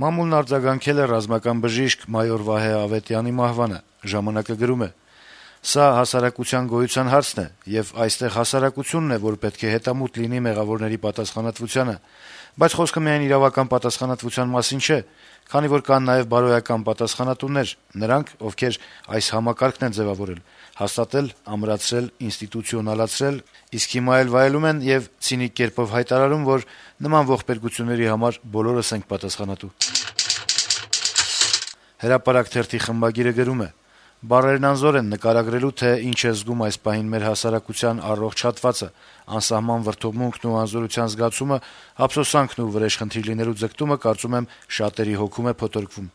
Մամուլն արձագանքել է ռազմական բժիշկ մայոր Վահե Ավետյանի մահվանը։ «Ժամանակ»-ը գրում է. - «Սա հասարակության գոյության հարցն է, եւ այստեղ հասարակությունն է, որ պետք է հետամուտ լինի մեղավորների պատասխանատվությանը, բայց խոսքը միայն իրավական պատասխանատվության մասին չէ, քանի որ կան նաեւ բարոյական պատասխանատուներ, նրանք, ովքեր այս համակարգն են ձեւավորել, հաստատել, ամրացրել, ինստիտուցիոնալացրել, իսկ հիմա էլ վայելում են եւ ցինիկ կերպով հայտարարում, որ նման ողբերգությունների համար բոլորս ենք պատասխանատու»։ «Հրապարակ» թերթի խմբագիրը գրում է. - «Բառերն անզոր են նկարագրելու, թե ինչ է զգում այս պահին մեր հասարակության առողջ հատվածը, անսահման վրդովմունքն ու անզորության զգացումը, ափսոսանքն ու վրեժխնդիր լինելու ձգտումը, կարծում եմ, շատերի հոգում է փոթորկվում»։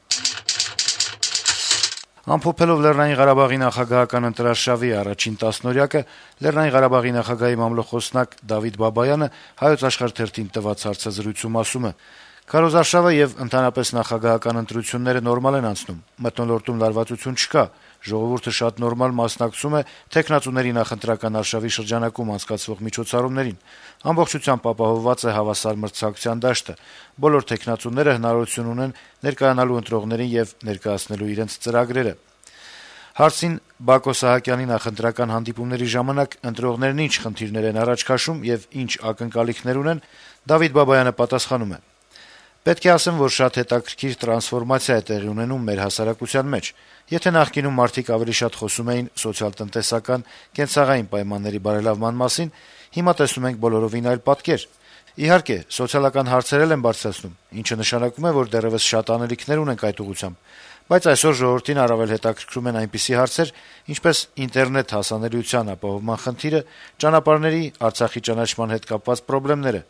Ամփոփելով Լեռնային Ղարաբաղի նախագահական ընտրարշավի առաջին տասնօրյակը, Լեռնային Ղարաբաղի նախագահի մամլոխոսնակ Դավիթ Բաբայանը «Հայոց Աշխարհ» թերթին տված հարցազրույցում ասում է. - «Քարոզարշավը եւ ընդհանրապես նախագահական ընտրությունները նորմալ են անցնում, մթնոլորտում լարվածություն չկա, ժողովուրդը շատ նորմալ մասնակցում է թեկնածուների նախընտրական արշավի շրջանակում անցկացվող միջոցառումներին, ամբողջությամբ ապահովված է հավասար մրցակցության դաշտը, բոլոր թեկնածուները հնարավորություն ունեն ներկայանալու ընտրողներին եւ ներկայացնելու իրենց ծրագրերը»։ Հարցին Բակո Սահակյանի նախընտրական հանդիպումների ժամանակ ընտրողներն ինչ խնդիրներ են առաջ քաշում եւ ինչ ակնկալիքներ ունեն, Դավիթ Բաբայանը պատասխանում է. - «Պետք է ասեմ, որ շատ հետաքրքիր տրանսֆորմացիա է տեղի ունենում մեր հասարակության մեջ: Եթե նախկինում մարդիկ ավելի շատ խոսում էին սոցիալ-տնտեսական, կենցաղային պայմանների բարելավման մասին, հիմա տեսնում ենք բոլորովին այլ պատկեր: Իհարկե, սոցիալական հարցեր էլ են բարձրացնում, ինչը նշանակում է, որ դեռեւս շատ անելիքներ ունենք այդ ուղղությամբ, բայց այսօր ժողովրդին առավել հետաքրքրում են այնպիսի հարցեր, ինչպես ինտերնետ հասանելիության ապահովման խնդիրը, ճանապարհների, Արցախի ճանաչման հետ կապված խնդիրները»։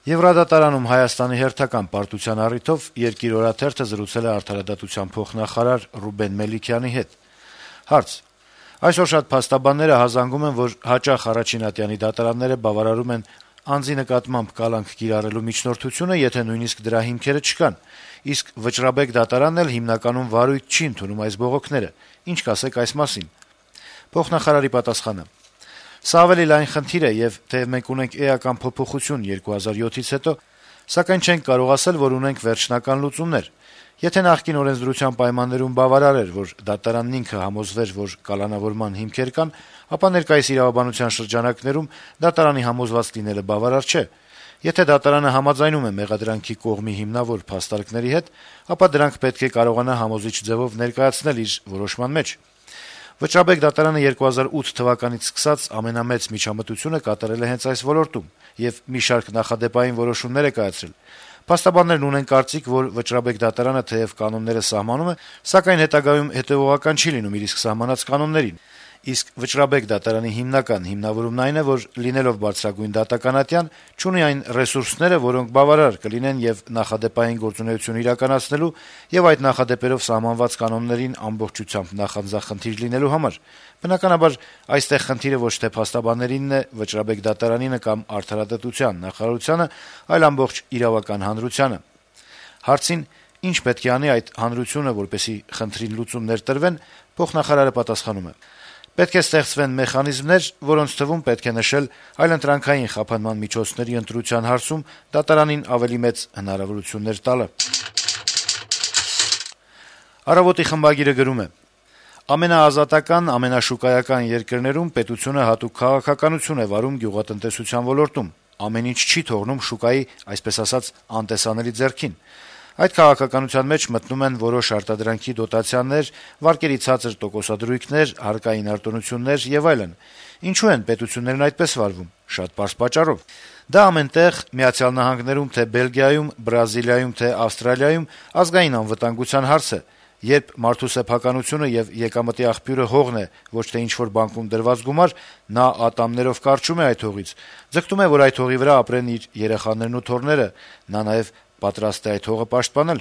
Եվրադատարանում Հայաստանի հերթական պարտության առիթով «Երկիր» օրաթերթը զրուցել է արդարադատության փոխնախարար Ռուբեն Մելիքյանի հետ։ Հարց. - «Այսօր շատ փաստաբաններ հազանգում են, որ հաճախ առաջին ատյանի դատարանները բավարարում են անձի նկատմամբ կալանք կիրառելու միջնորդությունը, եթե նույնիսկ դրա հիմքերը չկան, իսկ Վճռաբեկ դատարանն էլ հիմնականում վարույթ չի ընդունում այս բողոքները: Ինչ կասեք այս մասին»։ Փոխնախարարի պատասխանը. - «Սա ավելի լայն խնդիր է, եւ թեեւ մենք ունենք էական փոփոխություն 2007-ից հետո, սակայն չենք կարող ասել, որ ունենք վերջնական լուծումներ: Եթե նախկին օրենսդրության պայմաններում բավարար էր, որ դատարանն ինքը համոզվեր, որ կալանավորման հիմքեր կան, ապա ներկայիս իրավաբանության շրջանակներում դատարանի համոզված լինելը բավարար չէ: Եթե դատարանը համաձայնում է մեղադրանքի կողմի հիմնավոր փաստարկների հետ, ապա դրանք պետք է կարողանա համոզիչ ձեւով ներկայացնել իր որոշման մեջ: Վճռաբեկ դատարանը 2008 թվականից սկսած ամենամեծ միջամտությունը կատարել է հենց այս ոլորտում եւ մի շարք նախադեպային որոշումներ է կայացրել: Փաստաբաններն ունեն կարծիք, որ Վճռաբեկ դատարանը թեեւ կանոնները սահմանում է, սակայն հետագայում հետեւողական չի լինում իր իսկ սահմանած կանոններին: Իսկ Վճռաբեկ դատարանի հիմնական հիմնավորումն այն է, որ լինելով բարձրագույն դատականատյան, չունի այն ռեսուրսները, որոնք բավարար կլինեն եւ նախադեպային գործունեություն իրականացնելու եւ այդ նախադեպերով սահմանված կանոններին ամբողջությամբ նախանձախնդիր լինելու համար: Բնականաբար, այստեղ խնդիրը ոչ թե փաստաբաններինն է, Վճռաբեկ դատարանինը կամ Արդարադատության նախարարությանը, այլ ամբողջ իրավական հանրությանը»: Հարցին, ինչ պետք է անի այդ հանրությունը, որպեսզի խնդրին լուծումներ տրվեն, փոխնախարարը պատասխանում է. - «Պետք է ստեղծվեն մեխանիզմներ, որոնց թվում պետք է նշել այլընտրանքային խափանման միջոցների ընտրության հարցում դատարանին ավելի մեծ հնարավորություններ տալը»: «Առավոտ»-ի խմբագիրը գրում է. - «Ամենաազատական, ամենաշուկայական երկրներում պետությունը հատուկ քաղաքականություն է վարում գյուղատնտեսության ոլորտում, ամեն ինչ չի թողնում շուկայի, այսպես ասած, անտեսանելի ձեռքին: Այդ քաղաքականության մեջ մտնում են որոշ արտադրանքի դոտացիաներ, վարկերի ցածր տոկոսադրույքներ, հարկային արտոնություններ եւ այլն: Ինչո՞ւ են պետություններն այդպես վարվում: Շատ պարզ պատճառով: Դա ամեն տեղ՝ Միացյալ Նահանգներում, թե Բելգիայում, Բրազիլիայում, թե Ավստրալիայում ազգային անվտանգության հարց է: Երբ մարդու սեփականությունը եւ եկամտի աղբյուրը հողն է, ոչ թե ինչ-որ բանկում դրված գումար, նա ատամներով կարճում է այդ հողից, ձգտում է, որ այդ հողի վրա ապրեն իր երեխաներն ու թոռները, նա նաեւ պատրաստ է այդ հողը պաշտպանել»: